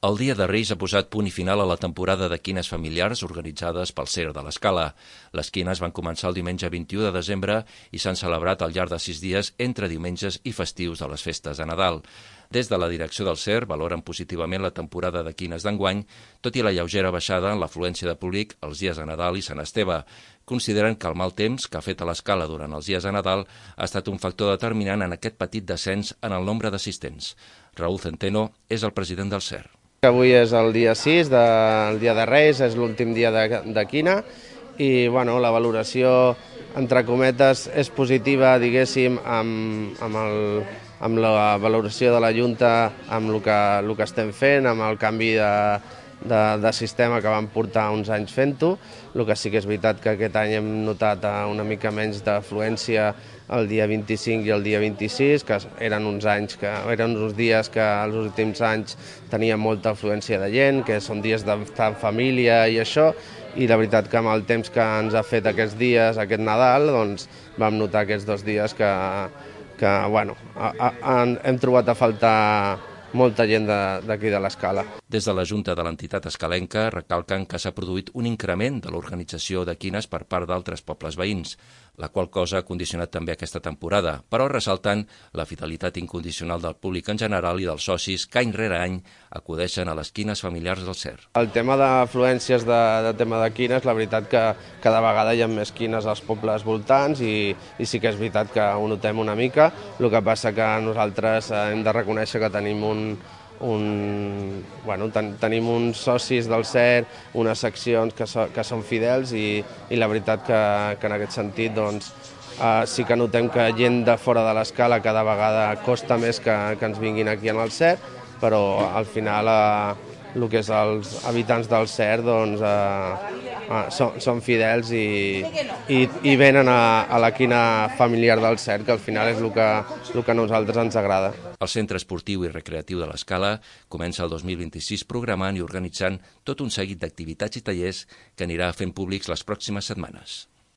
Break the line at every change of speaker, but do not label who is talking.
El Dia de Reis ha posat punt i final a la temporada de quines familiars organitzades pel CER de l'Escala. Les quines van començar el diumenge 21 de desembre i s'han celebrat al llarg de 6 dies entre diumenges i festius de les festes de Nadal. Des de la direcció del CER valoren positivament la temporada de quines d'enguany, tot i la lleugera baixada en l'afluència de públic els dies de Nadal i Sant Esteve. Consideren que el mal temps que ha fet a l'Escala durant els dies de Nadal ha estat un factor determinant en aquest petit descens en el nombre d'assistents. Raúl Centeno és el president del CER.
Avui és el dia 6, el dia de Reis, és l'últim dia de quina i la valoració, entre cometes, és positiva, diguéssim, amb la valoració de la Junta, amb el que estem fent, amb el canvi de sistema que vam portar uns anys fent-ho. El que sí que és veritat que aquest any hem notat una mica menys d'afluència el dia 25 i el dia 26, que eren uns dies que els últims anys tenien molta afluència de gent, que són dies d'estar en família i això, i la veritat que amb el temps que ens ha fet aquests dies, aquest Nadal, doncs vam notar aquests 2 dies que hem trobat a faltar molta gent d'aquí de l'Escala.
Des de la Junta de l'entitat escalenca recalquen que s'ha produït un increment de l'organització de quines per part d'altres pobles veïns, la qual cosa ha condicionat també aquesta temporada, però ressalten la fidelitat incondicional del públic en general i dels socis que any rere any acudeixen a les quines familiars del CER.
El tema d'afluències de tema de quines, la veritat que cada vegada hi ha més quines als pobles voltants i sí que és veritat que ho notem una mica. El que passa que nosaltres hem de reconèixer que tenim tenim uns socis del CER, unes seccions que són fidels i la veritat que en aquest sentit sí que notem que gent de fora de l'Escala cada vegada costa més que ens vinguin aquí en el CER, però al final el que és els habitants del CER són fidels i venen a la quina familiar del CER, que al final és el que a nosaltres ens agrada.
El Centre Esportiu i Recreatiu de l'Escala comença el 2026 programant i organitzant tot un seguit d'activitats i tallers que anirà fent públics les pròximes setmanes.